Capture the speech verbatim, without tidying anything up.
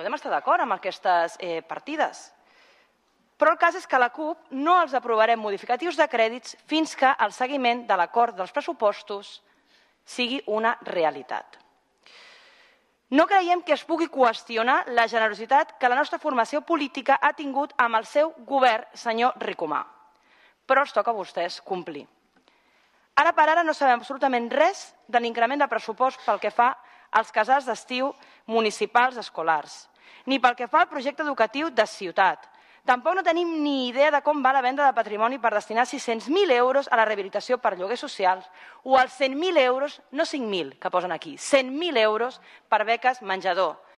podem estar d'acord amb aquestes partides. Però el cas és que a la CUP no els aprovarem modificatius de crèdits fins que el seguiment de l'acord dels pressupostos sigui una realitat. No creiem que es pugui qüestionar la generositat que la nostra formació política ha tingut amb el seu govern, senyor Ricomà. Però els toca a vostès complir. Ara per ara no sabem absolutament res de l'increment de pressupost pel que fa als casals d'estiu municipals escolars, ni pel que fa al projecte educatiu de ciutat. Tampoc no tenim ni idea de com va la venda de patrimoni per destinar sis-cents mil euros a la rehabilitació per lloguers socials o els cent mil euros, no cinc mil que posen aquí, cent mil euros per beques menjador,